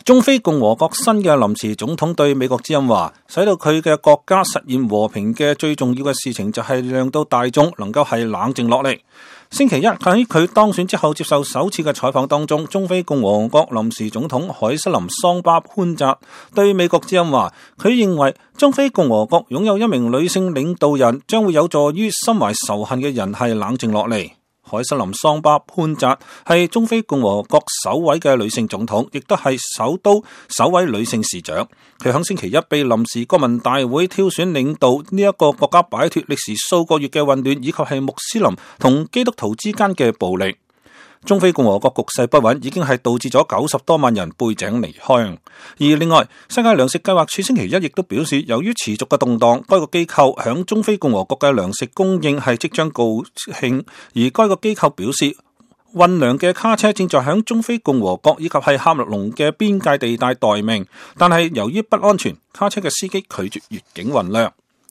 中非共和國新嘅臨時總統對美國之音話，使到佢嘅國家實現和平嘅最重要嘅事情就係讓到大眾能夠係冷靜落嚟。星期一喺佢當選之後接受首次嘅採訪當中，中非共和國臨時總統海瑟琳桑巴潘扎對美國之音話，佢認為中非共和國擁有一名女性領導人，將會有助於心懷仇恨嘅人係冷靜落嚟。海瑟琳桑巴潘扎係中非共和國首位嘅女性總統，亦都係首都首位女性市長。佢喺星期一被臨時國民大會挑選領導呢一個國家擺脫歷時數個月嘅混亂，以及係穆斯林同基督徒之間嘅暴力。中非共和國局勢不穩已經係導致咗90多萬人背井離鄉。而另外，世界糧食計劃署星期一亦都表示，由於持續嘅動盪，該個機構響中非共和國嘅糧食供應係即將告罄。而該個機構表示，運糧嘅卡車正在響中非共和國以及係喀麥隆嘅邊界地帶待命，但係由於不安全，卡車嘅司機拒絕越境運糧。